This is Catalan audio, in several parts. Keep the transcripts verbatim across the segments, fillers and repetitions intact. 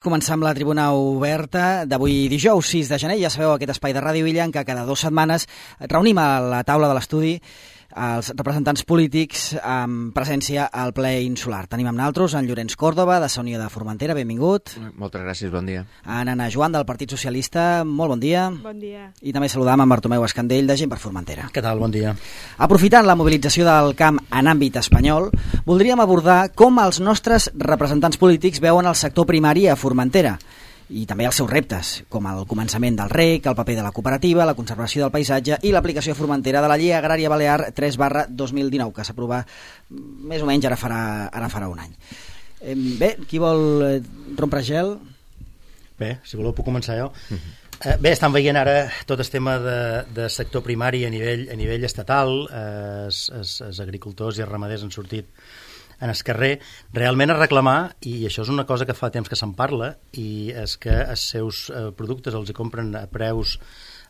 Començar amb la tribuna oberta d'avui dijous sis de gener. Ja sabeu, aquest espai de Ràdio Illa en què cada dues setmanes reunim a la taula de l'estudi els representants polítics amb presència al ple insular. Tenim amb nosaltres en Llorenç Còrdova, de Sa Unió de Formentera, benvingut. Moltes gràcies, bon dia. En Anna Joan, del Partit Socialista, molt bon dia. Bon dia. I també saludam en Bartomeu Escandell, de Gent per Formentera. Què tal? Bon dia. Aprofitant la mobilització del camp en àmbit espanyol, voldríem abordar com els nostres representants polítics veuen el sector primari a Formentera i també els seus reptes, com el començament del rec, el paper de la cooperativa, la conservació del paisatge i l'aplicació a Formentera de la Llei Agrària Balear tres barra dos mil dinou, que s'aprova més o menys ara farà, ara farà un any. Bé, qui vol rompre gel? Bé, si voleu puc començar jo. Uh-huh. Bé, estan veient ara tot el tema de, de sector primari a nivell, a nivell estatal. Eh, els, els, els agricultors i els ramaders han sortit en el carrer realment a reclamar, i això és una cosa que fa temps que se'n parla, i és que els seus eh, productes els hi compren a preus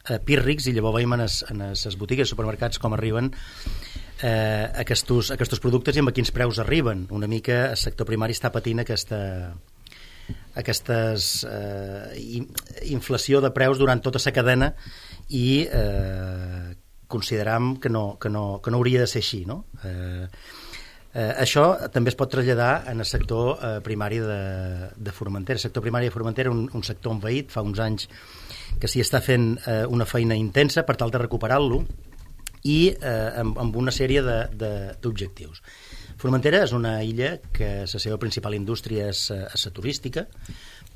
eh, pírrics, i llavors veiem en les, en les botigues, supermercats, com arriben eh, aquests, aquests productes i amb a quins preus arriben. Una mica el sector primari està patint aquesta aquestes eh, inflació de preus durant tota la cadena, i eh, consideram que no, que, no, que no hauria de ser així, no? Eh, Eh, això també es pot traslladar en el sector eh, primari de, de Formentera. El sector primari de Formentera és un, un sector envaït, fa uns anys que s'hi està fent eh, una feina intensa per tal de recuperar-lo, i eh, amb, amb una sèrie d'objectius. Formentera és una illa que la seva principal indústria és, és la turística,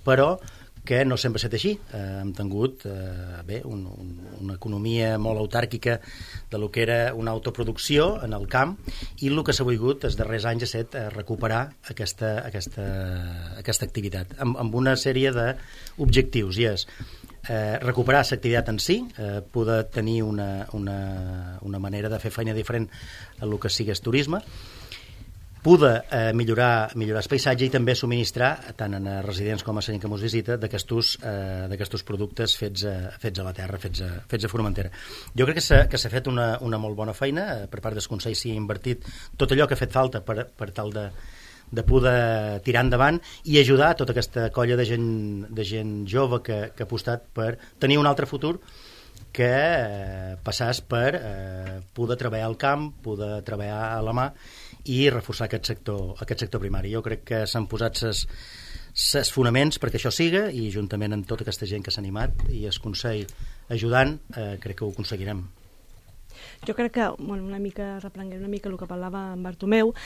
però que no sempre ha estat així. Eh, hem tingut eh, bé, un, un, una economia molt autàrquica de lo que era una autoproducció en el camp, i el que s'ha volgut els darrers anys ha estat eh, recuperar aquesta, aquesta, aquesta activitat amb, amb una sèrie d'objectius, i és eh, recuperar l'activitat en si, eh, poder tenir una, una, una manera de fer feina diferent a lo que sigui el turisme, poder eh, millorar, millorar el paisatge, i també subministrar, tant en residents com a gent que ens visita, d'aquests eh, productes fets a, fets a la terra, fets a, fets a Formentera. Jo crec que s'ha que s'ha fet una, una molt bona feina, eh, per part del Consell s'hi ha invertit tot allò que ha fet falta per, per tal de, de poder tirar endavant i ajudar tota aquesta colla de gent, de gent jove que, que ha apostat per tenir un altre futur, que eh, passàs per eh, poder treballar al camp, poder treballar a la mà i reforçar aquest sector, aquest sector primari. Jo crec que s'han posat els fonaments perquè això siga, i juntament amb tota aquesta gent que s'ha animat i el Consell ajudant, eh, crec que ho aconseguirem. Jo crec que, bueno, una mica reprenguem una mica el que parlava en Bartomeu,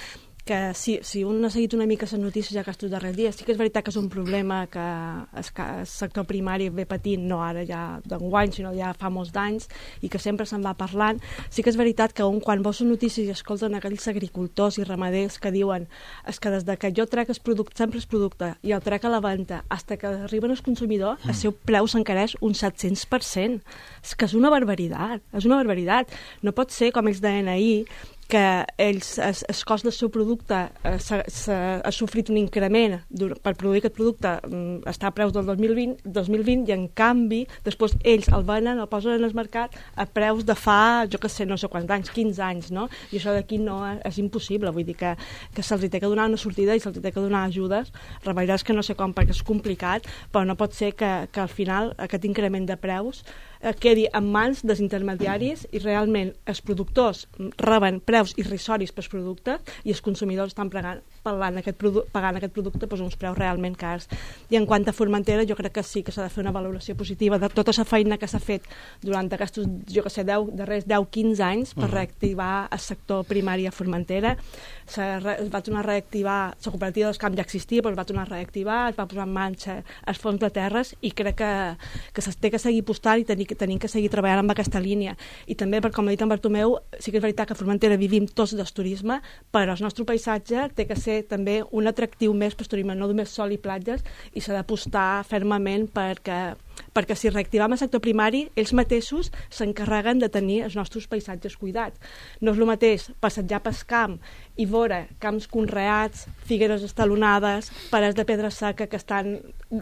que si, si un ha seguit una mica les notícies ja aquests darrers dies, sí que és veritat que és un problema que el, el sector primari ve patint, no ara ja d'enguany, sinó ja fa molts d'anys, i que sempre se'n va parlant. Sí que és veritat que un, quan veus notícies i escolten aquells agricultors i ramaders que diuen és que des de que jo trec el producte, sempre el producte, i el trec a la venda, fins que arriben al consumidor, el seu preu s'encareix un set-cents per cent. És que és una barbaritat, és una barbaritat. No pot ser, com ells deien ahir, que ells, el, el cost del seu producte eh, s ha, s ha, ha sofrit un increment per produir aquest producte, mm, està a preus del dos mil vint, dos mil vint, i en canvi després ells el venen, el posen en el mercat a preus de fa, jo que sé, no sé quants anys, quinze anys, no? I això d'aquí no és, és impossible, vull dir que, que se'ls té que donar una sortida i se'ls té que donar ajudes. La veritat és que no sé com, perquè és complicat, però no pot ser que, que al final aquest increment de preus eh, quedi en mans dels intermediaris i realment els productors reben preus irrisoris pels productes i els consumidors estan pagant, pagant, aquest, produ pagant aquest producte doncs, uns preus realment cars. I en quant a Formentera, jo crec que sí que s'ha de fer una valoració positiva de tota la feina que s'ha fet durant aquests, jo que sé, deu, darrers deu quinze anys per reactivar el sector primari a Formentera. Es va tornar a reactivar, la cooperativa dels camps ja existia, però es va tornar a reactivar, es va posar en marxa els fons de terres, i crec que, que s'ha de seguir apostant i tenir, tenir que seguir treballant amb aquesta línia. I també, per com ha dit en Bartomeu, sí que és veritat que a Formentera vivim tots del turisme, però el nostre paisatge té que ser també un atractiu més per turisme, no només sol i platges, i s'ha d'apostar fermament perquè perquè si reactivem el sector primari, ells mateixos s'encarreguen de tenir els nostres paisatges cuidats. No és el mateix passejar pel camp i veure camps conreats, figueres estalonades, parets de pedra seca que estan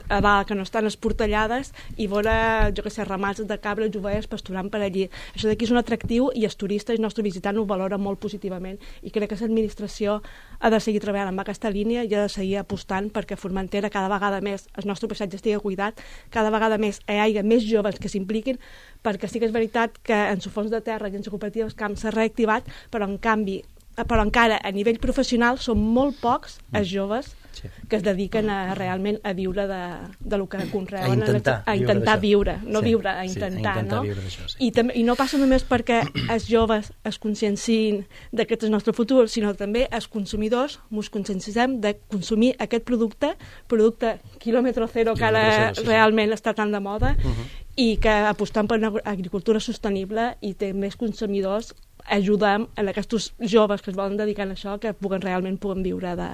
a dalt, que no estan esportellades, i veure, jo què sé, ramats de cabres i ovelles pasturant per allí. Això d'aquí és un atractiu i els turistes i el nostre visitant ho valora molt positivament, i crec que l'administració ha de seguir treballant amb aquesta línia i ha de seguir apostant perquè a Formentera cada vegada més el nostre paisatge estigui cuidat, cada vegada més hi hagi més joves que s'impliquin, perquè sí que és veritat que en su fons de terra i en su cooperativa el camp s'ha reactivat, però en canvi però encara a nivell professional són molt pocs els joves sí. que es dediquen a, realment a viure de, de lo que conreuen. A intentar, a intentar viure, viure no sí. viure, a intentar, sí, a intentar no? Viure d'això, sí. I, també, I no passa només perquè els joves es consciencin d'aquest és el nostre futur, sinó també els consumidors ens conscienciem de consumir aquest producte, producte quilòmetre zero, que ara zero, sí, realment sí. està tan de moda, uh -huh. i que apostant per una agricultura sostenible i té més consumidors, ajudem a aquests joves que es volen dedicar a això que puguen realment puguen viure de,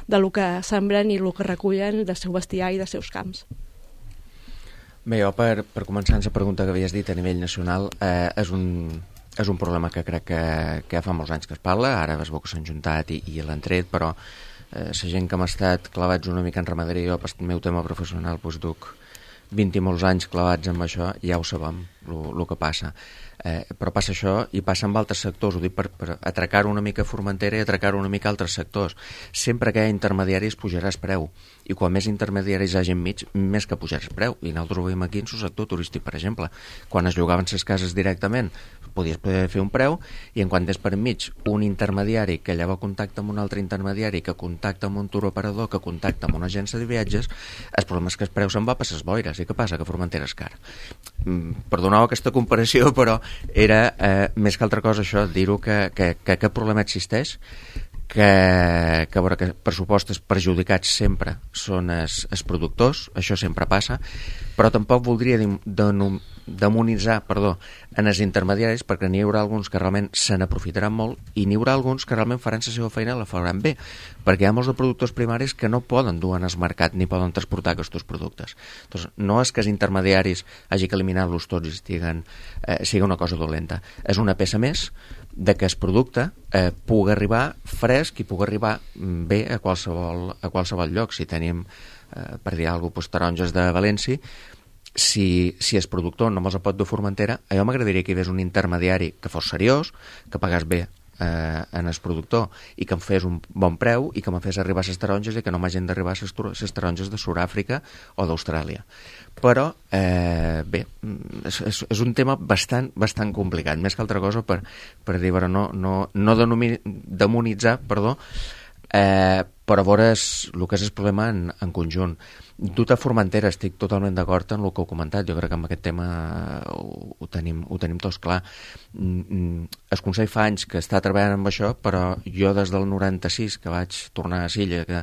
de lo que sembren i el que recullen del seu bestiar i dels seus camps. Bé, jo per, per començar la pregunta que havies dit a nivell nacional, eh, és, un, és un problema que crec que, que ja fa molts anys que es parla, ara es veu que s'han juntat i, i l'han tret, però eh, la gent que hem estat clavats una mica en ramaderia, jo pel meu tema professional doncs duc vint i molts anys clavats amb això, ja ho sabem, el que passa. Eh, però passa això i passa amb altres sectors, ho dic per, per atracar una mica Formentera i atracar una mica altres sectors. Sempre que hi ha intermediaris pujaràs preu, i quan més intermediaris hi hagi enmig, més que pujaràs preu, i nosaltres ho veiem aquí en el sector turístic, per exemple. Quan es llogaven les cases directament podies poder fer un preu, i en quan és per enmig un intermediari que llavors contacta amb un altre intermediari, que contacta amb un turoperador, que contacta amb una agència de viatges, el problema és que el preu se'n va per les boires. I què passa? Que Formentera és car. Mm, perdoneu aquesta comparació, però era eh, més que altra cosa això, dir-ho que, que, que aquest problema existeix, que, que, veure, que pressupostos perjudicats sempre són els, els productors, això sempre passa, però tampoc voldria denom, demonitzar perdó, en els intermediaris, perquè n'hi haurà alguns que realment se n'aprofitaran molt i n'hi haurà alguns que realment faran la seva feina i la faran bé, perquè hi ha molts de productors primaris que no poden dur en el mercat ni poden transportar aquests productes. Entonces, no és que els intermediaris hagi que eliminar-los tots i estiguen, eh, sigui una cosa dolenta. És una peça més de que el producte eh, pugui arribar fresc i pugui arribar bé a qualsevol, a qualsevol lloc. Si tenim, eh, per dir alguna cosa, taronges de València, si, si el productor no me'ls pot dur Formentera, a jo m'agradaria que hi hagués un intermediari que fos seriós, que pagàs bé eh, en el productor i que em fes un bon preu i que me fes arribar les taronges i que no m'hagin d'arribar les taronges de Sud-àfrica o d'Austràlia. Però, eh, bé, és, és, és un tema bastant, bastant complicat, més que altra cosa per, per dir, però no, no, no denomi, demonitzar, perdó, eh, però veure el que és el problema en, en conjunt. Dut a Formentera, estic totalment d'acord en el que heu comentat, jo crec que amb aquest tema ho, ho, tenim, ho tenim tots clar. El Consell fa anys que està treballant amb això, però jo des del noranta-sis, que vaig tornar a Silla, que,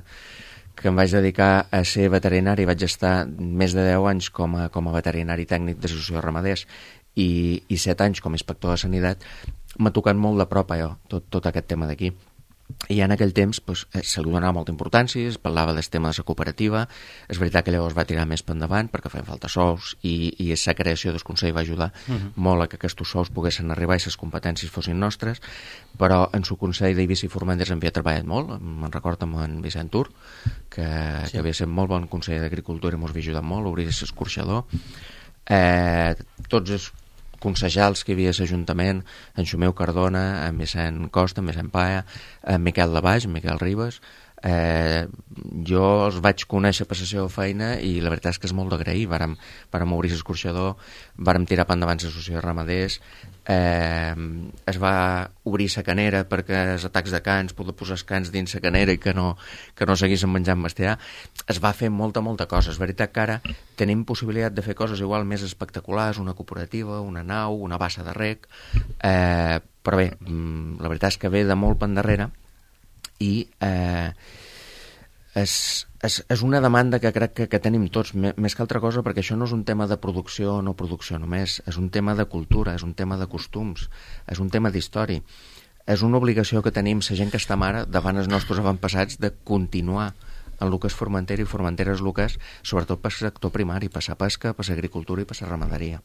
que em vaig dedicar a ser veterinari, vaig estar més de deu anys com a, com a veterinari tècnic d'associació de ramaders i, i set anys com a inspector de sanitat, m'ha tocat molt de prop allò, tot, tot aquest tema d'aquí. I en aquell temps pues, se li donava molta importància, es parlava del tema de la cooperativa, és veritat que llavors va tirar més per endavant perquè feien falta sous i, i la creació del Consell va ajudar uh -huh. molt a que aquests sous poguessin arribar i les competències fossin nostres, però en el Consell d'Eivissa i Formentera havia treballat molt, me'n recordo amb en Vicent Tur, que, sí. que havia estat molt bon conseller d'Agricultura i ens havia ajudat molt a obrir l'escorxador. Eh, tots els consellals que hi havia a l'Ajuntament, en Xumeu Cardona, en Vicent Costa, en Vicent Paia, en Miquel Labaix, en Miquel Ribes. Eh, jo els vaig conèixer per la seva feina i la veritat és que és molt d'agrair. Vàrem, vàrem obrir l'escorxador, vàrem tirar per endavant l'associació de ramaders, eh, es va obrir la canera perquè els atacs de cans, poder posar els cans dins la canera i que no, que no seguissin menjant bestiar. Es va fer molta, molta cosa. És veritat que ara tenim possibilitat de fer coses igual més espectaculars, una cooperativa, una nau, una bassa de rec, eh, però bé, la veritat és que ve de molt per endarrere i eh, és, és, és una demanda que crec que, que tenim tots, més que altra cosa, perquè això no és un tema de producció o no producció només, és un tema de cultura, és un tema de costums, és un tema d'història. És una obligació que tenim la gent que està ara davant els nostres avantpassats de continuar en el que és Formentera, i Formentera és el que és, sobretot per sector primari, per la pesca, per l'agricultura i per la ramaderia.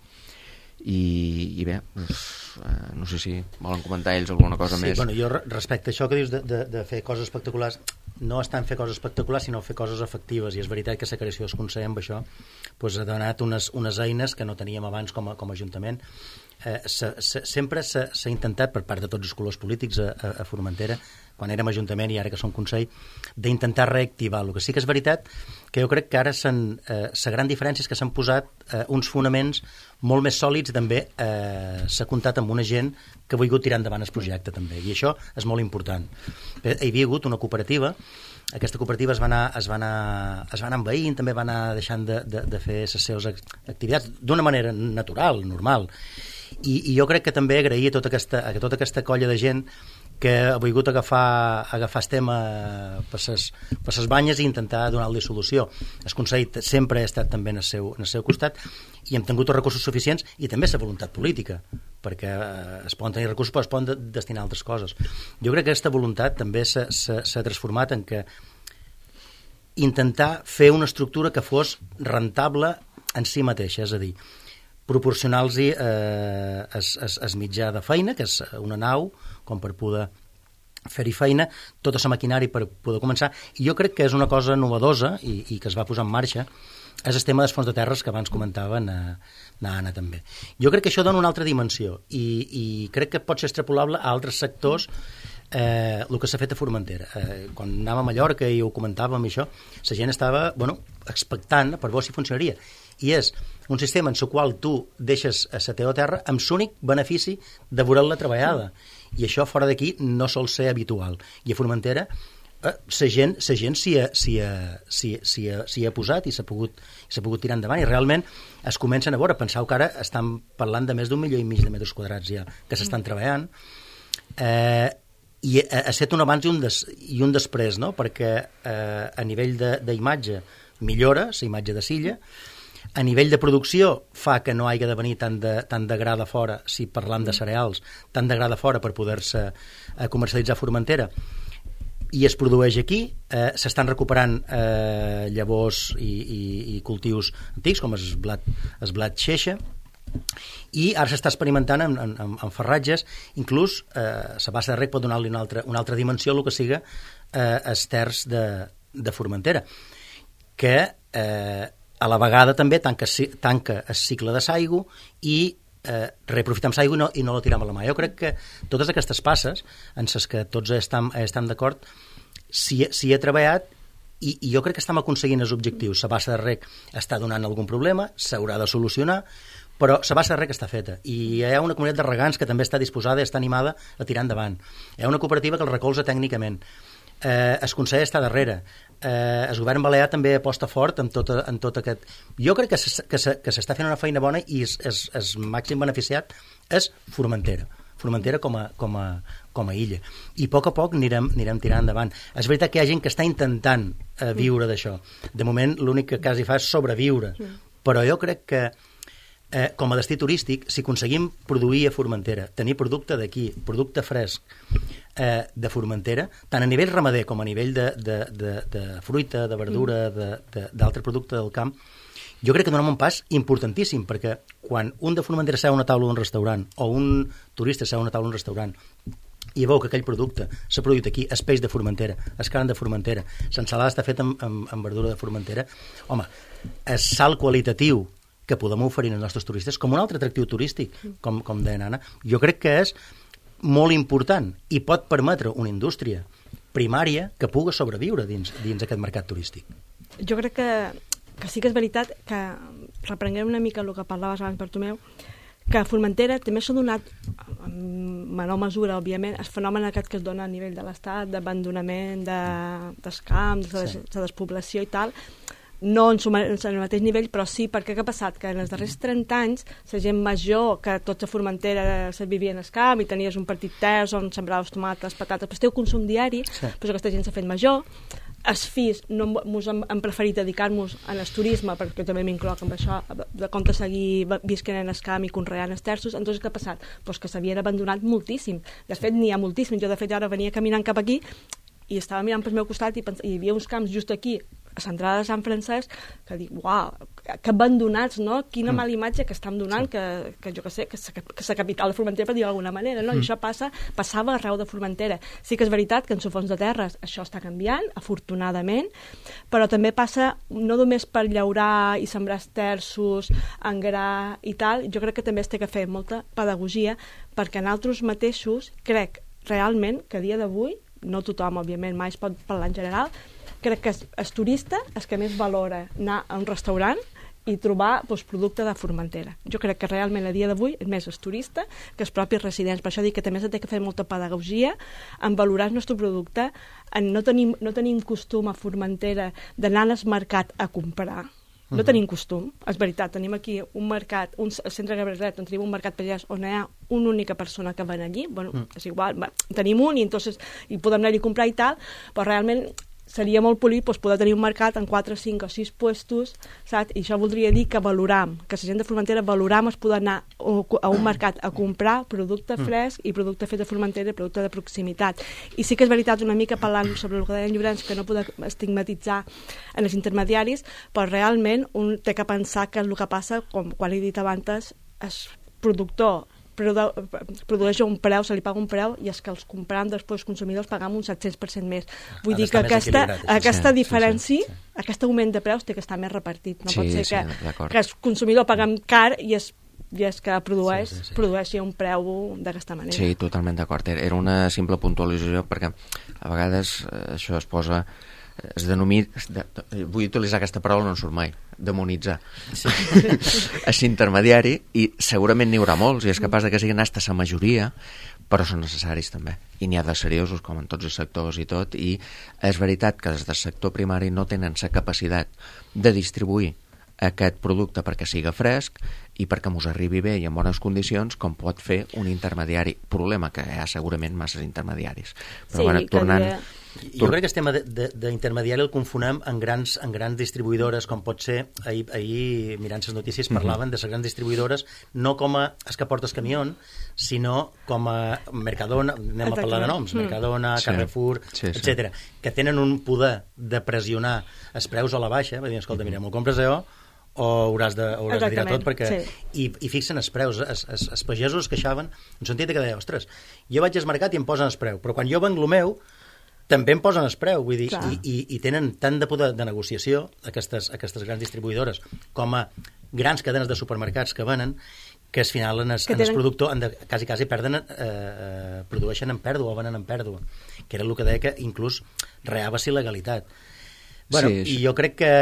I, i bé, doncs, eh, no sé si volen comentar ells alguna cosa sí, més. Bueno, jo respecte a això que dius de, de, de fer coses espectaculars, no és tant fer coses espectaculars sinó fer coses efectives, i és veritat que la creació del Consell amb això doncs, ha donat unes, unes eines que no teníem abans com a, com a Ajuntament. Eh, se, se, sempre s'ha intentat per part de tots els colors polítics a, a, a Formentera, quan érem Ajuntament i ara que som Consell, d'intentar reactivar. El que sí que és veritat que jo crec que ara la eh, gran diferència és que s'han posat eh, uns fonaments molt més sòlids, també eh, s'ha comptat amb una gent que ha volgut tirar endavant el projecte també, i això és molt important. Hi havia hagut una cooperativa, aquesta cooperativa es va anar, es va anar, es va anar envaint, també va anar deixant de, de, de fer les seves activitats d'una manera natural, normal, i, i jo crec que també agrair a tota aquesta, a tota aquesta colla de gent que ha volgut agafar, agafar el tema per ses, per ses banyes i intentar donar-li solució. El Consell sempre ha estat també en el seu, en el seu costat, i hem tingut els recursos suficients i també la voluntat política, perquè es poden tenir recursos però es poden de, destinar a altres coses. Jo crec que aquesta voluntat també s'ha transformat en que intentar fer una estructura que fos rentable en si mateixa, és a dir, proporcionar-los eh, es, es, es mitjà de feina, que és una nau, com per poder fer-hi feina, tota la maquinària per poder començar, i jo crec que és una cosa novedosa i, i que es va posar en marxa, és el tema dels fons de terres que abans comentava na, na Anna també. Jo crec que això dona una altra dimensió i, i crec que pot ser extrapolable a altres sectors. Eh, el que s'ha fet a Formentera, eh, quan anàvem a Mallorca i ho comentàvem i això, la gent estava bueno, expectant per veure si funcionaria, i és un sistema en el qual tu deixes a la teva terra amb l'únic benefici de veure-la treballada, i això fora d'aquí no sol ser habitual, i a Formentera eh, la gent, la gent s'hi ha, s'hi ha, s'hi ha, s'hi ha, s'hi ha posat i s'ha pogut, s'ha pogut tirar endavant, i realment es comencen a veure. Penseu que ara estan parlant de més d'un milió i mig de metres quadrats ja que s'estan treballant, eh, i ha estat un abans i un, des, i un després, no? Perquè eh, a nivell d'imatge millora la imatge de Silla, a nivell de producció fa que no hagi de venir tant de, tant de gra de fora, si parlam de cereals, tant de gra de fora per poder-se eh, comercialitzar a Formentera, i es produeix aquí. Eh, s'estan recuperant eh, llavors i, i, i cultius antics com el blat, el blat xeixa, i ara s'està experimentant amb, amb, amb farratges, inclús eh, la bassa de rec pot donar-li una altra, una altra dimensió el que siga eh, els terç de, de Formentera, que eh, a la vegada també tanca, tanca el cicle de l'aigua i eh, reaprofitem l'aigua i, no, i no la tirem a la mà. Jo crec que totes aquestes passes en les que tots estem, estem d'acord s'hi ha treballat, i, i jo crec que estem aconseguint els objectius. La bassa de rec està donant algun problema, s'haurà de solucionar, però la bassa de rec està feta, i hi ha una comunitat de regants que també està disposada i està animada a tirar endavant. Hi ha una cooperativa que el recolza tècnicament. Eh, el Consell està darrere. Eh, el govern balear també aposta fort en tot, en tot aquest... Jo crec que s'està fent una feina bona, i el màxim beneficiat és Formentera. Formentera com a, com a, com a illa. I a poc a poc anirem, anirem tirant endavant. És veritat que hi ha gent que està intentant eh, viure d'això. De moment l'únic que quasi fa és sobreviure. Però jo crec que Eh, com a destí turístic, si aconseguim produir a Formentera, tenir producte d'aquí, producte fresc eh, de Formentera, tant a nivell ramader com a nivell de, de, de, de fruita, de verdura, d'altre producte del camp, jo crec que donem un pas importantíssim, perquè quan un de Formentera seu a una taula d'un restaurant, o un turista seu a una taula d'un restaurant, i veu que aquell producte s'ha produït aquí, el peix de Formentera, el carn de Formentera, l'ensalada està feta amb, amb, amb verdura de Formentera, home, el salt qualitatiu que podem oferir als nostres turistes com un altre atractiu turístic, com, com deia Anna, jo crec que és molt important i pot permetre una indústria primària que pugui sobreviure dins, dins aquest mercat turístic. Jo crec que, que sí que és veritat que, reprenguem una mica el que parlaves abans, Bartomeu, que a Formentera també s'ha donat, en menor mesura, òbviament, el fenomen aquest que es dona a nivell de l'Estat, d'abandonament de, dels camps, de, sí. de despoblació i tal, no en, en el mateix nivell, però sí, perquè què ha passat? Que en els darrers trenta anys la gent major, que tots a Formentera se vivia en el camp i tenies un petit terç on sembraves tomates, patates, però teu consum diari, sí. Però aquesta gent s'ha fet major, els fills no mos han, han preferit dedicar-nos al turisme, perquè també m'incloc amb això, de compte seguir visquent en el camp i conreant els terços. Entonces què ha passat? Pues que s'havien abandonat moltíssim. De fet, n'hi ha moltíssim. Jo, de fet, ara venia caminant cap aquí i estava mirant pel meu costat i, pens... i hi havia uns camps just aquí, a l'entrada de Sant Francesc, que dic, uau, que abandonats, no? Quina mm. mala imatge que estan donant, sí. que, que jo que sé, que la capital de Formentera, per dir d'alguna manera, no? Mm. I això passa, passava arreu de Formentera. Sí que és veritat que en Sofons de Terres això està canviant, afortunadament, però també passa no només per llaurar i sembrar terços, engrar i tal, jo crec que també es té que fer molta pedagogia, perquè nosaltres mateixos crec realment que a dia d'avui, no tothom, òbviament, mai es pot parlar en general, crec que el turista és que més valora anar a un restaurant i trobar doncs, producte de Formentera. Jo crec que realment a dia d'avui és més el turista que els propis residents. Per això dic que també s'ha de fer molta pedagogia en valorar el nostre producte. En no, tenim, no tenim costum a Formentera d'anar al mercat a comprar. No tenim costum, és veritat, tenim aquí un mercat, un centre Gabriel, on tenim un mercat pagès on hi ha una única persona que ven allí, bueno, mm. és igual, va, tenim un i, entonces, i podem anar-hi a comprar i tal, però realment seria molt polit doncs, poder tenir un mercat en quatre, cinc o sis puestos, saps? I això voldria dir que valoram, que la gent de Formentera valoram es poder anar a un mercat a comprar producte fresc i producte fet de Formentera i producte de proximitat. I sí que és veritat, una mica parlant sobre el que deien Llorenç, que no podem estigmatitzar en els intermediaris, però realment un té que pensar que el que passa, com quan he dit abans, el productor produeix un preu, se li paga un preu i és que els comprant després consumidors pagam un set-cents per cent més. Vull dir que aquesta, aquesta diferència, sí, sí, sí. aquest augment de preus té que estar més repartit. No sí, pot ser sí, que, que el consumidor paguem car i és, i és que produeix, sí, sí, sí. produeixi un preu d'aquesta manera. Sí, totalment d'acord. Era una simple puntualització perquè a vegades això es posa es denomina, de, vull utilitzar aquesta paraula, no en surt mai, demonitzar sí. és intermediari i segurament n'hi haurà molts i és capaç de que siguin hasta la majoria, però són necessaris també i n'hi ha de seriosos com en tots els sectors i tot, i és veritat que des del sector primari no tenen la capacitat de distribuir aquest producte perquè siga fresc i perquè mos arribi bé i en bones condicions com pot fer un intermediari. Problema que hi ha segurament masses intermediaris. Però sí, bueno, tornant... Dia... Jo crec que el tema d'intermediari el confonem en grans, en grans distribuïdores, com pot ser, ahir, ahir mirant les notícies parlaven mm-hmm. de les grans distribuïdores, no com a es que porta el camió, sinó com a Mercadona, anem a parlar de noms, mm. Mercadona, sí. Carrefour, sí, sí. etcètera, que tenen un poder de pressionar els preus a la baixa, va dir, escolta, mira, m'ho compres allò, o hauràs de, hauràs de tirar tot perquè... Sí. I, i fixen els preus, els, els, els pagesos es queixaven en sentit que deia, ostres, jo vaig al mercat i em posen el preu, però quan jo venc el meu també em posen el preu, vull dir, i, i, i tenen tant de poder de negociació aquestes, aquestes grans distribuïdores com a grans cadenes de supermercats que venen, que al final en el, en el productor han de, quasi, quasi perden, eh, produeixen en pèrdua o venen en pèrdua, que era el que deia que inclús reava-s'hi legalitat. Bueno, sí, i jo crec que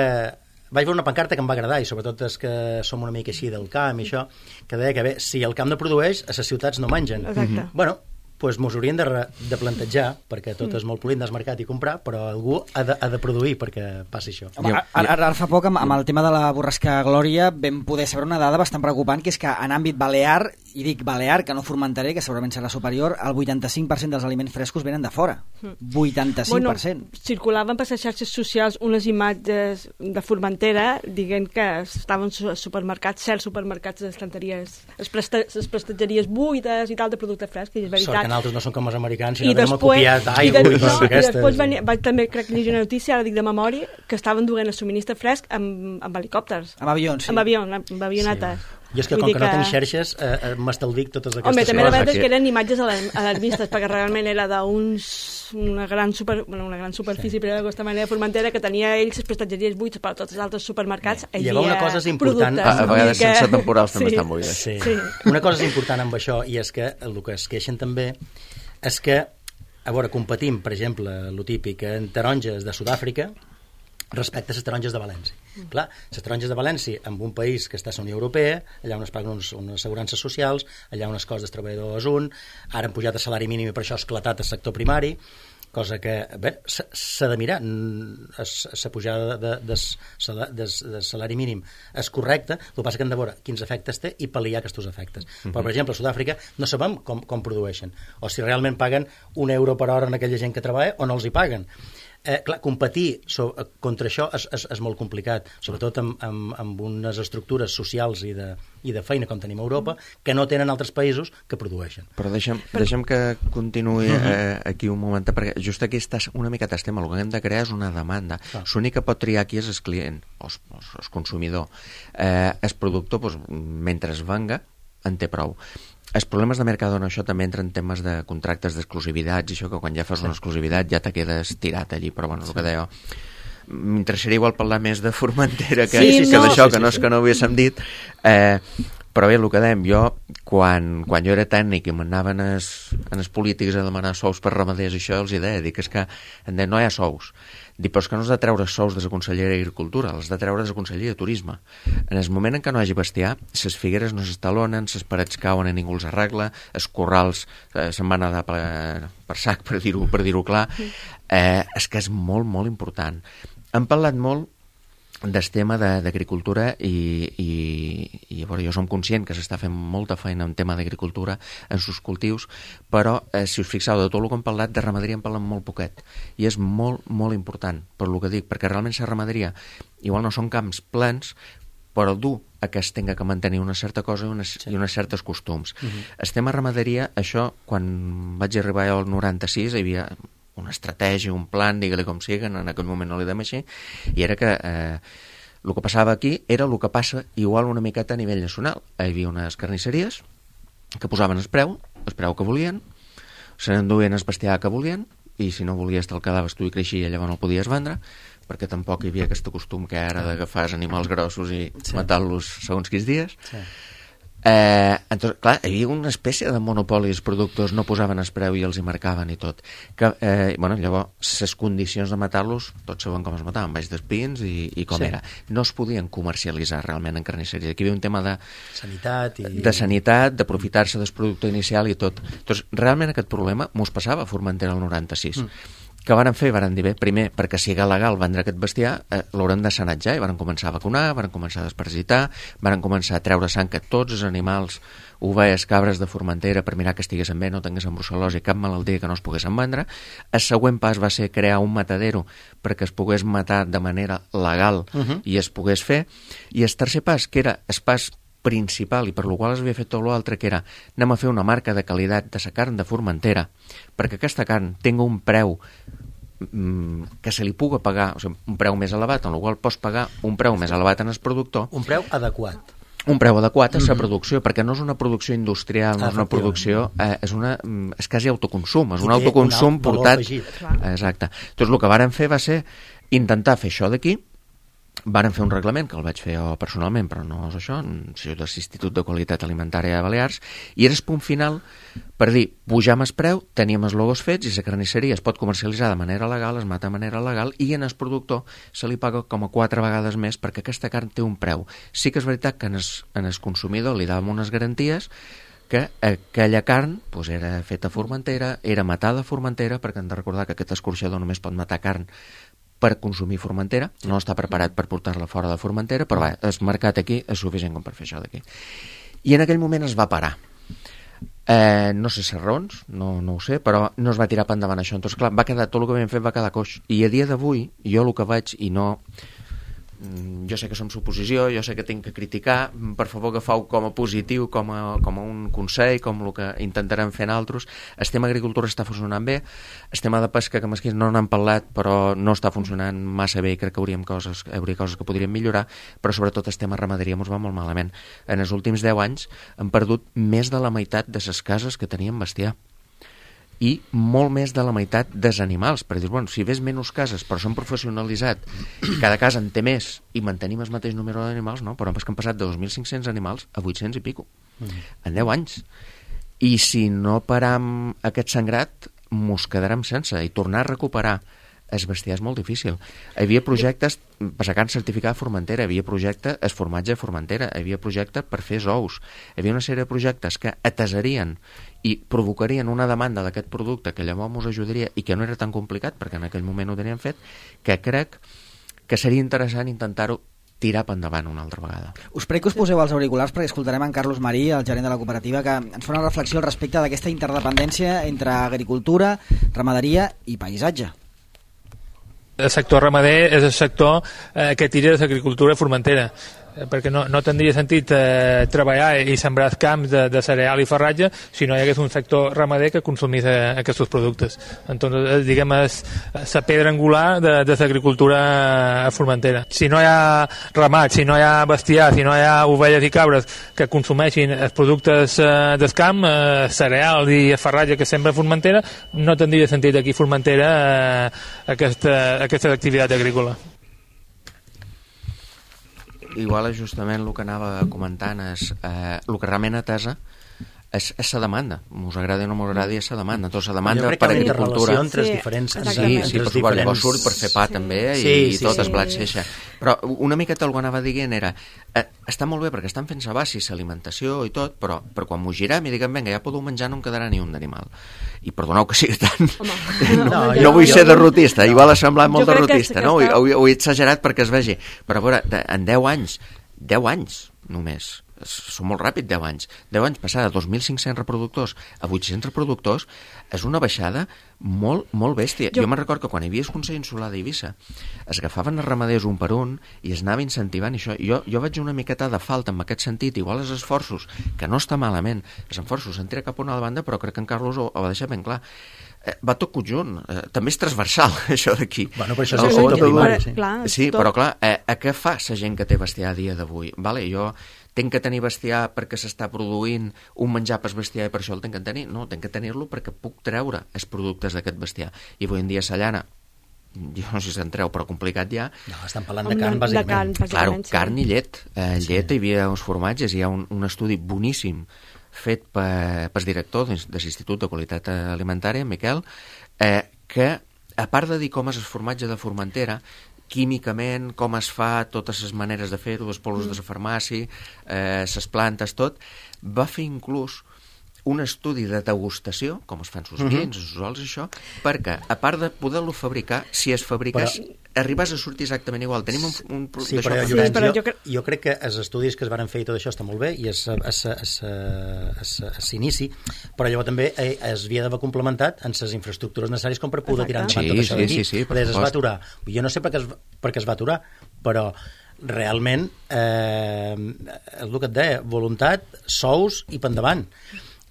vaig veure una pancarta que em va agradar, i sobretot és que som una mica així del camp i això, que deia que bé, si el camp no produeix, a les ciutats no mengen. Exacte. Bueno, doncs mos haurien de, re, de plantejar, perquè tot és molt polint del mercat i comprar, però algú ha de, ha de produir perquè passi això. Home, ara, ara fa poc, amb, amb el tema de la borrasca Glòria, vam poder saber una dada bastant preocupant, que és que en àmbit balear, i dic balear, que no formentaré, que segurament serà superior, el vuitanta-cinc per cent dels aliments frescos venen de fora. vuitanta-cinc per cent. Bueno, circulaven per les xarxes socials unes imatges de Formentera dient que estaven als supermercats, certs supermercats d'estanteries, les, presta, les prestatgeries buides i tal de producte fresc, i és veritat. Que nosaltres no són com els americans, sinó que hem copiat aigua i, de, i no, i després venia, vaig també, crec que llegir una notícia, ara dic de memòria, que estaven duent el subministre fresc amb, amb helicòpters. Amb avions, sí. Amb avions, amb avionetes. Sí. Jo és que com que, que no tinc xerxes, eh, m'estalvic totes aquestes Home, coses. Home, també la veritat és que eren imatges alarmistes, perquè realment era d'uns una gran, super, bueno, una gran superfície, sí. però d'aquesta manera Formentera, que tenia ells les prestatgeries buides per tots els altres supermercats. I llavors una cosa és important... A, a vegades que... sense temporals sí. també estan buides. Sí. Sí. Una cosa és important amb això, i és que el que es queixen també és que, a veure, competim, per exemple, el típic, en taronges de Sud-àfrica respecte a les taronges de València. Mm. Clar, les taronges de València, en un país que està a la Unió Europea, allà on es paguen uns, unes assegurances socials, allà on els costs dels treballadors un, ara han pujat el salari mínim i per això ha esclatat el sector primari, cosa que, bé, s'ha de mirar, la pujada de, de, de, de, de salari mínim és correcta, el que passa que hem de veure quins efectes té i pal·liar aquests efectes. Mm-hmm. Però, per exemple, a Sud-àfrica no sabem com, com produeixen, o si realment paguen un euro per hora en aquella gent que treballa o no els hi paguen. Eh, clar, competir so, contra això és, és, és molt complicat, sobretot amb, amb, amb unes estructures socials i de, i de feina com tenim a Europa, que no tenen altres països que produeixen. Però deixa'm, deixa'm que continuï eh, aquí un moment, perquè just aquí estàs una mica t'estem, el que hem de crear és una demanda. Ah. L'únic que pot triar aquí és el client, o el consumidor. Eh, el productor, doncs, mentre es venga, en té prou. Els problemes de mercado en això també entren en temes de contractes d'exclusivitats i això, que quan ja fas sí. una exclusivitat ja te quedes tirat allí, però bueno, sí. el que deia m'interessaria igual parlar més de Formentera que, sí, que no. d'això, que no és que no ho haguéssim dit, eh, però bé, el que dèiem, jo quan, quan jo era tècnic i m'anaven en els polítics a demanar sous per ramaders i això, els hi deia, dic, és que em deien, no hi ha sous. Dic, però és que no has de treure sous de la Conselleria d'Agricultura, els de treure de la Conselleria de Turisme. En el moment en què no hi hagi bestiar, les figueres no s'estalonen, les parets cauen i ningú els arregla, els corrals eh, se'n van anar per, per sac, per dir-ho per dir-ho clar. Eh, és que és molt, molt important. Hem parlat molt del tema d'agricultura i, i, i bueno, jo som conscient que s'està fent molta feina en tema d'agricultura en sus cultius, però eh, si us fixeu, de tot el que hem parlat de ramaderia en parlem molt poquet, i és molt, molt important per el que dic, perquè realment la ramaderia igual no són camps plans, però dur a que es tenga que mantenir una certa cosa i unes, sí. i unes certes costums. Uh-huh. El tema ramaderia, això, quan vaig arribar al noranta-sis, hi havia una estratègia, un plan, digue-li com sigui, en aquell moment no li dem així, i era que eh, el que passava aquí era el que passa igual una miqueta a nivell nacional. Hi havia unes carnisseries que posaven el preu, el preu que volien, se n'enduien el bestiar que volien, i si no volies te'l quedaves tu i creixia, llavors no el podies vendre, perquè tampoc hi havia aquest costum que ara d'agafar els animals grossos i sí. matar-los segons quins dies. Sí. Eh, entonces, clar, hi havia una espècie de monopoli, els productors no posaven el preu i els hi marcaven i tot. Que, eh, bueno, llavors, les condicions de matar-los, tots saben com es mataven, baix d'espins i, i com sí. era. No es podien comercialitzar realment en carnisseria. Aquí hi havia un tema de sanitat, i... de sanitat, d'aprofitar-se del producte inicial i tot. Entonces, realment aquest problema mos passava a Formentera el noranta-sis. Mm. Que varen fer? Varen dir bé, primer, perquè sigui legal vendre aquest bestiar, eh, l'haurem de sanatjar, i varen començar a vacunar, varen començar a desparasitar, varen començar a treure sang que tots els animals, ovelles, cabres de Formentera, per mirar que estiguessin bé, no tinguessin brucel·losi, cap malaltia que no es poguessin vendre. El següent pas va ser crear un matadero perquè es pogués matar de manera legal uh-huh. i es pogués fer, i el tercer pas, que era el pas principal, i per lo qual es havia fet tot l'altre, que era anem a fer una marca de qualitat de la carn de Formentera, perquè aquesta carn tingui un preu mm, que se li pugui pagar, o sigui, un preu més elevat, en el qual pots pagar un preu més elevat en el productor. Un preu adequat. Un preu adequat a la mm-hmm. producció, perquè no és una producció industrial, no és una producció, eh, és, una, és quasi autoconsum, és un autoconsum portat... Exacte. Doncs el que varen fer va ser intentar fer això d'aquí. Varen fer un reglament, que el vaig fer jo personalment, però no és això, de l'Institut de Qualitat Alimentària de Balears, i era el punt final per dir, pujam el preu, teníem els logos fets, i la carnisseria es pot comercialitzar de manera legal, es mata de manera legal, i en el productor se li paga com a quatre vegades més, perquè aquesta carn té un preu. Sí que és veritat que en el, en el consumidor li dàvem unes garanties, que aquella carn pues, era feta a Formentera, era matada a Formentera, perquè hem de recordar que aquest escorxador només pot matar carn per consumir Formentera, no està preparat per portar-la fora de Formentera, però va, el mercat aquí és suficient com per fer això d'aquí. I en aquell moment es va parar. Eh, no sé les raons, no, no ho sé, però no es va tirar per endavant això. Entonces, clar, va quedar, tot el que havíem fet va quedar coix. I a dia d'avui, jo el que vaig, i no... Jo sé que som suposició, jo sé que tinc que criticar, per favor agafeu com a positiu, com a, com a un consell, com el que intentarem fer nosaltres. El tema agricultura està funcionant bé, el tema de pesca, que mesquins no n'hem parlat, però no està funcionant massa bé i crec que hauríem coses, hauria coses que podríem millorar, però sobretot el tema ramaderia ens va molt malament. En els últims deu anys hem perdut més de la meitat de les cases que teníem bestiar, i molt més de la meitat dels animals, perquè dius, bueno, si ves menys cases però són professionalitzat i cada casa en té més i mantenim el mateix número d'animals, no, però és que han passat de dos mil cinc-cents animals a vuit-cents i pico mm. en deu anys, i si no param aquest sangrat mos quedarem sense, i tornar a recuperar el bestiar és molt difícil. Hi havia projectes per sacar certificat de Formentera, hi havia projecte el formatge de Formentera, hi havia projecte per fer ous, hi havia una sèrie de projectes que atesarien i provocarien una demanda d'aquest producte que llavors ens ajudaria i que no era tan complicat perquè en aquell moment ho teníem fet, que crec que seria interessant intentar-ho tirar per endavant una altra vegada. Us prego que us poseu els auriculars perquè escoltarem en Carlos Marí, el gerent de la cooperativa, que ens fa una reflexió al respecte d'aquesta interdependència entre agricultura, ramaderia i paisatge. El sector ramader és el sector eh, que tira de l'agricultura formentera, perquè no, no tindria sentit eh, treballar i sembrar camps de, de cereal i farratge si no hi hagués un sector ramader que consumís eh, aquests productes. Entonces, diguem, és la pedra angular de, de l'agricultura formentera. Si no hi ha ramat, si no hi ha bestiar, si no hi ha ovelles i cabres que consumeixin els productes eh, del camp, eh, cereal i farratge que sembra Formentera, no tindria sentit aquí Formentera eh, aquesta, aquesta activitat agrícola. Igual és justament el que anava comentant, és, eh, el que realment atesa és, és la demanda. Us agrada o no m'agradi, és la demanda. Tota la demanda per agricultura. Entre els diferents... Sí, sí, sí, per suposo, llavors surt per fer pa sí. també i, sí, sí, i tot sí, es blat seixa. Però una miqueta el que anava dient era eh, està molt bé perquè estan fent-se basis, alimentació i tot, però, però quan m'ho girem i diguem, vinga, ja podeu menjar, no em quedarà ni un d'animal. I perdoneu que sigui tan... Home, no, no, jo, no vull jo, ser derrotista, no. Igual ha semblat molt derrotista, no? Ho, ho, ho he exagerat perquè es vegi. Però a veure, en deu anys, deu anys només, són molt ràpid, deu anys. deu anys passar de dos mil cinc-cents reproductors a vuit-cents reproductors és una baixada molt, molt bèstia. Jo, jo me'n recordo que quan hi havia el Consell Insular d'Eivissa es agafaven els ramaders un per un i es anava incentivant això. Jo, jo vaig una miqueta de falta en aquest sentit, igual els esforços, que no està malament, els esforços s'han tirat cap a una banda, però crec que en Carlos ho, ho va deixar ben clar. Eh, va tot conjunt, eh, també és transversal això d'aquí. Bueno, però això és el sector primari, sí. Sí, però clar, eh, a què fa la gent que té bestiar a dia d'avui? Vale, jo tenc que tenir bestiar perquè s'està produint un menjar per bestiar i per això el tenc que tenir? No, tenc que tenir-lo perquè puc treure els productes d'aquest bestiar. I avui en dia la llana, jo no sé si se'n treu, però complicat ja. No, estan parlant de carn, bàsicament. De carn, bàsicament. Claro, sí. Carn i llet. Eh, llet, sí. Hi havia uns formatges, hi ha un, un estudi boníssim fet per, pel director de l'Institut de Qualitat Alimentària, Miquel, eh, que, a part de dir com és el formatge de Formentera, químicament, com es fa, totes les maneres de fer-ho, els polvos mm. de la farmàcia, eh, les plantes, tot, va fer inclús un estudi de degustació, com es fan sus vins, uh -huh. sus ols, això, perquè, a part de poder-lo fabricar, si es fabricàs, però... arribes a sortir exactament igual. Tenim un... un sí, però, sí, Llorenç, però jo, jo, cre... jo crec que els estudis que es van fer i tot això està molt bé i s'inici, però llavors també eh, es havia d'haver complementat en les infraestructures necessàries com per poder Exacte. tirar endavant sí, tot això d'aquí. Sí, sí, sí, per es va aturar. Jo no sé per què es, per què es va aturar, però realment eh, és el que et deia, voluntat, sous i pendavant.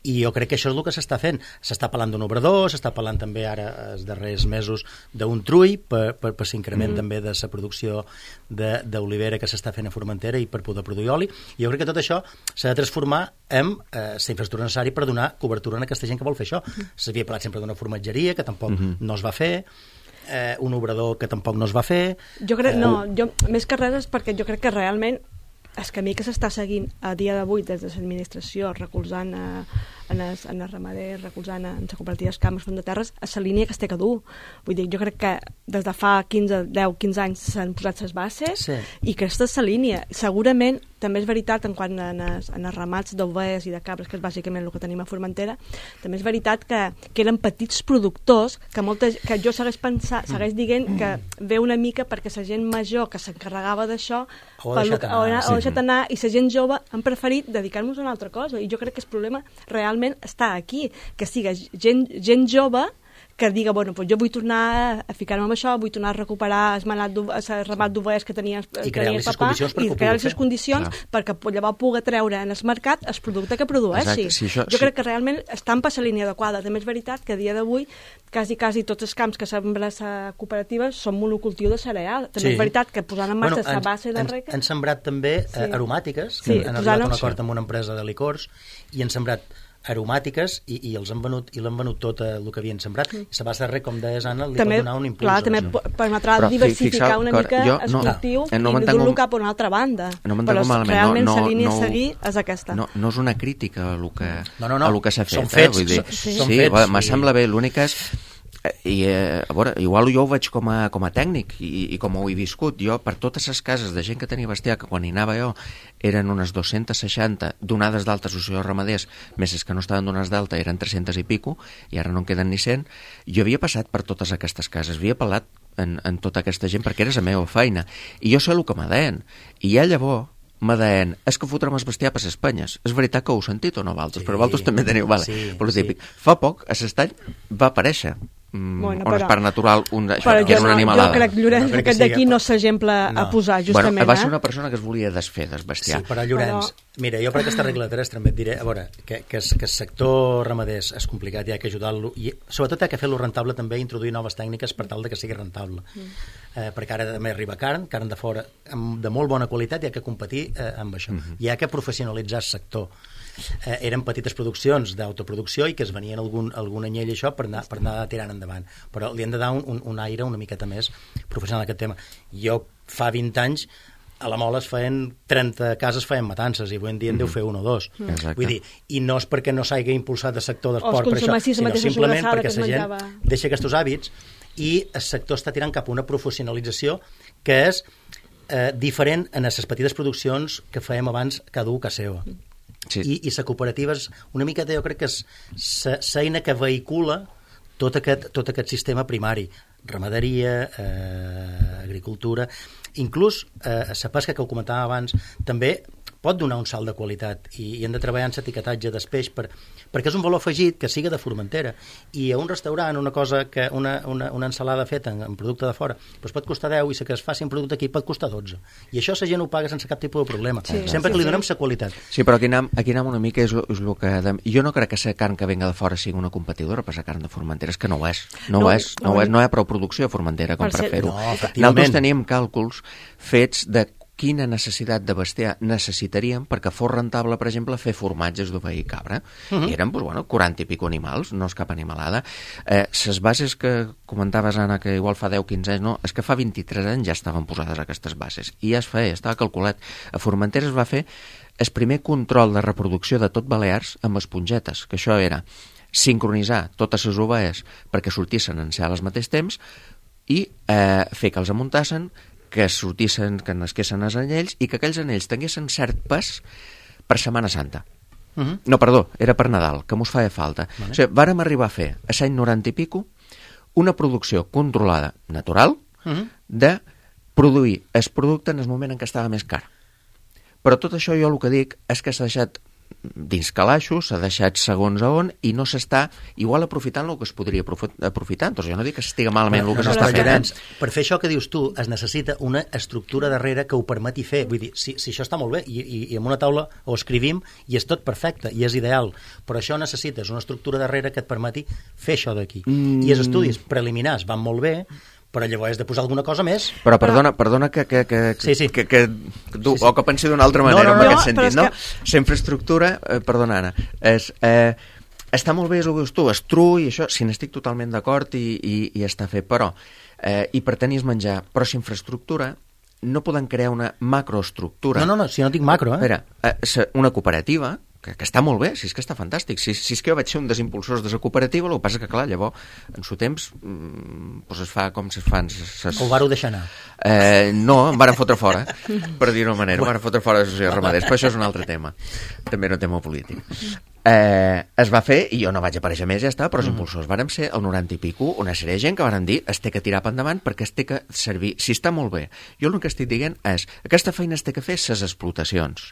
I jo crec que això és el que s'està fent. S'està parlant d'un obrador, s'està parlant també ara els darrers mesos d'un trull per, per, per l'increment mm. també de la producció d'olivera que s'està fent a Formentera i per poder produir oli. I jo crec que tot això s'ha de transformar en eh, la infraestructura necessària per donar cobertura a aquesta gent que vol fer això. S'havia parlat sempre d'una formatgeria que tampoc mm -hmm. no es va fer, eh, un obrador que tampoc no es va fer. Jo crec, eh, no, jo, més que res és perquè jo crec que realment el camí que s'està seguint a dia d'avui des de l'administració, recolzant a, en els, en els ramaders, recolzant en les cooperatives Camps Font de Terres, a la línia que es té que dur. Vull dir, jo crec que des de fa quinze, deu, quinze anys s'han posat les bases sí. i aquesta és la línia. Segurament, també és veritat, en quant en els, en els ramats d'ovelles i de cabres, que és bàsicament el que tenim a Formentera, també és veritat que, que eren petits productors, que, molta, que jo segueix, pensar, segueix dient que ve una mica perquè la gent major que s'encarregava d'això ho ha deixat anar, sí. deixat anar i la gent jove han preferit dedicar-nos a una altra cosa. I jo crec que el problema realment està aquí, que siga gent, gent jove que diga, bueno, doncs jo vull tornar a ficar-me amb això, vull tornar a recuperar el, manat el ramat d'ovelles que tenia, I tenia el papà i crear les condicions Clar. perquè llavors pugui treure en el mercat el producte que produeixi. Sí, això, jo sí. crec que realment estan per la línia adequada. També és veritat que a dia d'avui quasi, quasi tots els camps que semblen les cooperatives són monocultiu de cereal. També sí. és veritat que posant en marxa bueno, la base de rec... Han sembrat també sí. eh, aromàtiques, que sí, han arribat a un acord amb una empresa de licors i han sembrat aromàtiques i, i els han venut i l'han venut tot el que havien sembrat mm. i la base de rec, com deies Anna, li també, pot donar un impuls. Clar, també no? permetrà Però, diversificar fixeu, una mica jo, el cultiu no, no i dur-lo cap a una altra banda. No Però malament, realment no, la línia no, a seguir és aquesta. No, no és una crítica a lo que, no, no, no. a lo que s'ha fet. Són fets. Eh? Vull dir, sí, sí, sí, fets. Me sembla bé, l'únic és i eh, a veure, igual jo ho veig com a, com a tècnic i, i com ho he viscut jo per totes les cases de gent que tenia bestiar que quan hi anava jo eren unes dos-centes seixanta donades d'alta associacions ramaders més els que no estaven donades d'alta eren tres-centes i pico i ara no en queden ni cent. Jo havia passat per totes aquestes cases, havia parlat en, en tota aquesta gent perquè era la meva feina i jo sé el que me deien i ja llavors me deien, és que fotrem el bestiar per les penyes. És veritat que ho heu sentit o no, Valtos? Sí, però Valtos també teniu, vale, sí, però sí. Típic. Fa poc, a l'estany va aparèixer mm, bueno, on però, és part natural, un, això, però que jo, és una no, animalada. jo crec que Llorenç, no crec que aquest d'aquí sigui, no s'exemple no. a posar, justament. Bueno, va ser eh? una persona que es volia desfer, desbestiar. Sí, però Llorenç, però... mira, jo per aquesta regla de tres també et diré, a veure, que, que, que el sector ramader és complicat, hi ha que ajudar-lo, i sobretot hi ha que fer-lo rentable també, introduir noves tècniques per tal de que sigui rentable. Mm. Eh, perquè ara també arriba carn, carn de fora, amb, de molt bona qualitat, hi ha que competir eh, amb això. Mm-hmm. Hi ha que professionalitzar el sector. Eh, eren petites produccions d'autoproducció i que es venien algun, algun anyell això per anar, per anar tirant endavant, però li han de dar un, un, un aire una miqueta més professional a aquest tema. Jo fa vint anys a la Mola es feien trenta cases, feien matances, i avui en dia en deu fer un o dos. Exacte. Vull dir, i no és perquè no s'hagi impulsat el sector d'esport per això, consumessis la sinó mateixa simplement sobrassada perquè que la es gent menjava. deixa aquests hàbits i el sector està tirant cap a una professionalització que és eh, diferent en les petites produccions que fèiem abans cada un a casa seva. Sí. I, i la cooperativa és una miqueta, jo crec que és l'eina que vehicula tot aquest, tot aquest sistema primari, ramaderia, eh, agricultura, inclús eh, la pesca que ho comentàvem abans, també pot donar un salt de qualitat i, i hem de treballar en l'etiquetatge del peix per, perquè és un valor afegit que siga de Formentera, i a un restaurant una cosa que una, una, una ensalada feta en, en producte de fora doncs pot costar deu i la que es faci en producte aquí pot costar dotze, i això la gent ho paga sense cap tipus de problema, Sí, sempre sí, que li sí. donem la qualitat. Sí, però aquí anem, aquí anem una mica, és, és el que... De... Jo no crec que la carn que venga de fora sigui una competidora per la carn de Formentera, és que no ho és. No, No, ho és, no, no, ho és, no hi ha prou producció a Formentera com Per per ser- fer-ho. No, efectivament. Nosaltres teníem càlculs fets de quina necessitat de bestiar necessitaríem perquè fos rentable, per exemple, fer formatges d'ovella i cabra. Uh-huh. I eren, doncs, bueno, quaranta i pico animals, no és cap animalada. Eh, les bases que comentaves, Anna, que igual fa deu o quinze anys, no, és que fa vint-i-tres anys ja estaven posades aquestes bases. I ja es feia, estava calculat. A Formentera es va fer el primer control de reproducció de tot Balears amb espongetes, que això era sincronitzar totes les ovelles perquè sortissin en ser al mateix temps i eh, fer que els amuntassin, que sortissin, que nasquessin els anyells i que aquells anyells tinguessin cert pes per Setmana Santa. Uh-huh. No, perdó, era per Nadal, que mos feia falta. Vale. O sigui, vàrem arribar a fer, a l'any noranta i pico, una producció controlada, natural, Uh-huh. de produir el producte en el moment en què estava més car. Però tot això jo el que dic és que s'ha deixat dins calaixos, s'ha deixat segons a on i no s'està igual aprofitant el que es podria aprofitar. Doncs jo no dic que estiga malament el que no, s'està no, fent. Llorenç, per fer això que dius tu es necessita una estructura darrere que ho permeti fer. Vull dir, si, si això està molt bé i, i, i en una taula ho escrivim i és tot perfecte i és ideal, però això necessites una estructura darrere que et permeti fer això d'aquí. Mm. I els estudis preliminars van molt bé, però llavors has de posar alguna cosa més. Però perdona, perdona que, que, que, Sí, sí. que, que, que tu, Sí, sí. o que pensi d'una altra manera No, no, en no, aquest no, sentit, però no? és La infraestructura, eh, perdona, Anna, és, eh, està molt bé, és el que dius tu, és true i això, si n'estic totalment d'acord i, i, i està fet, però, eh, i per tenir menjar, però si infraestructura no poden crear una macroestructura. No, no, no, si no dic macro, eh? Espera, eh, se- una cooperativa, que, que està molt bé, si és que està fantàstic, si, si és que jo vaig ser un dels impulsors de la cooperativa, el que passa que, clar, llavors, en su temps, mm, doncs es fa com se fan... Ses... O varo deixar anar. Eh, no, em van fotre fora, per dir-ho manera, em van fotre fora de l'associació de ramaders, però això és un altre tema, també no tema polític. Eh, es va fer, i jo no vaig aparèixer més, ja està, però els impulsors vàrem ser el noranta i pico, una sèrie de gent que varen dir es té que tirar per endavant perquè es té que servir, si està molt bé. Jo el que estic dient és, aquesta feina es té que fer ses explotacions,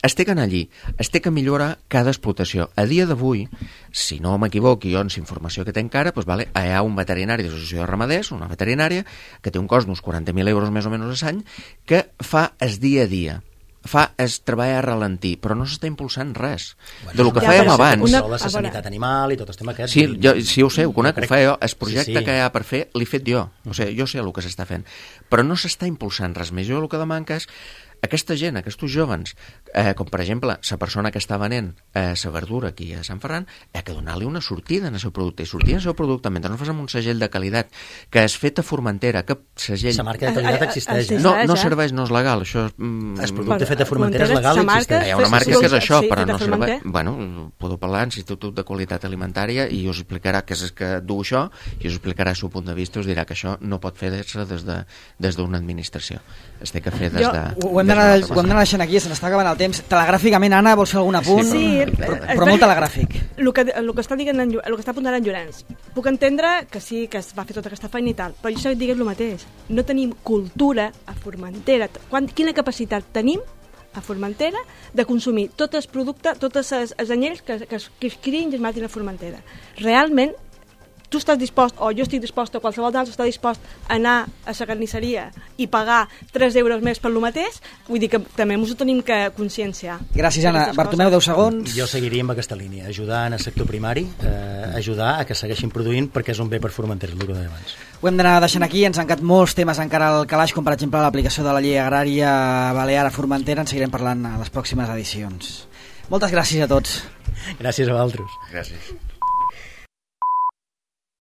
es té que anar allí, es té que millorar cada explotació. A dia d'avui, si no m'equivoco, jo en la informació que tenc ara, doncs, vale, hi ha un veterinari de l'associació de ramaders, una veterinària, que té un cost d'uns quaranta mil euros més o menys a l'any, que fa el dia a dia, fa es treballar a ralentir, però no s'està impulsant res de lo que Ja, fèiem però abans. una- La a veure. sanitat animal i tot el tema aquest. Sí, jo, sí ho sé, ho conec, ho crec- feia jo. El projecte Sí, sí. que hi ha per fer l'he fet jo. O sigui, jo sé el que s'està fent. Però no s'està impulsant res més. Jo el que demanca és aquesta gent, aquests jovens, eh, com per exemple la persona que està venent eh, la verdura aquí a Sant Ferran, ha que donar-li una sortida en el seu producte. I sortir en el seu producte mentre no fas amb un segell de qualitat que és fet a Formentera, que segell... La marca de qualitat existeix. eh? No, no eh? serveix, no és legal. Això és... Mm, El producte Per- fet a Formentera és Formentera, legal i sa marca- existeix. hi ha una Sí, marca sí, que és això, sí, però de no serveix... Formentera. Bueno, podeu parlar a l'Institut de Qualitat Alimentària i us explicarà què és que du això i us explicarà el seu punt de vista, us dirà que això no pot fer-se des de, des d'una administració. Es té que fer des Jo- de... Ho hem des d'anar d'una altra ho hem d'anar deixant aquí, se n'està acabant el temps. Telegràficament, Anna, vols fer algun apunt? Sí, però, eh, però molt telegràfic. El que, el que està dient en, Llo- el que està apuntant en Llorenç, puc entendre que sí, que es va fer tota aquesta feina i tal, però jo sé que diguem el mateix. No tenim cultura a Formentera. Quan, quina capacitat tenim a Formentera de consumir tots els productes, tots els, els anyells que, que, es, que es crien i es matin a Formentera? Realment tu estàs dispost, o jo estic dispost, o qualsevol d'altre està dispost a anar a la carnisseria i pagar tres euros més per lo mateix, vull dir que també ens ho tenim que conscienciar. Gràcies, Anna. Bartomeu, deu segons. Jo seguiria amb aquesta línia, ajudar en el sector primari, eh, ajudar a que segueixin produint perquè és un bé per Formentera, el que deia abans. Ho hem d'anar deixant aquí, ens han quedat molts temes encara al calaix, com per exemple l'aplicació de la llei agrària balear a Formentera, en seguirem parlant a les pròximes edicions. Moltes gràcies a tots. Gràcies a vosaltres. Gràcies.